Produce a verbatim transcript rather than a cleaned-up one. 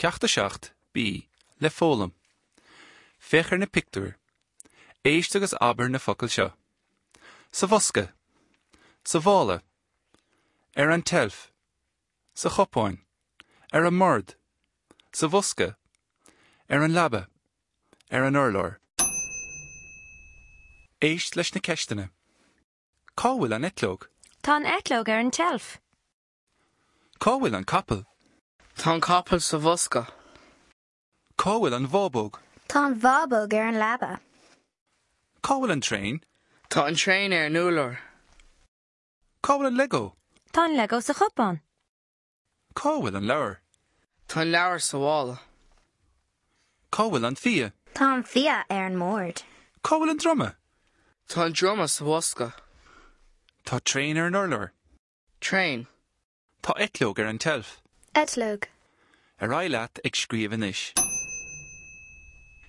Ceacht a seacht, B, le foghlaim. Féach ar na pictiúir. Éist agus abair na focail seo. Sa bhosca. Sa mhála. Ar an tseilf. Sa chupán. Ar an mbord. Sa bhosca. Ar an leaba. Ar an urlár. Éist leis na ceisteanna. Cá bhfuil an eitleog? Tá an eitleog ar an tseilf. Cá bhfuil an capall? Tá an capall sa bhosca. Cá bhfuil an bhábóg? Tá an bhábóg ar an leaba. Cá bhfuil an traein? Tá an traein ar an urlár. Cá bhfuil an Lego? Tá an Lego sa chupán. Cá bhfuil an leabhar? Tá an leabhar sa mhála. Cá bhfuil an fia? Tá an fia ar an mbord. Cá bhfuil an druma? Tá an druma sa bhosca. Tá traein ar an urlár. Traein. Tá eitleog ar an tseilf. Eitleog. Ar aghaidh leat ag scríobh anois.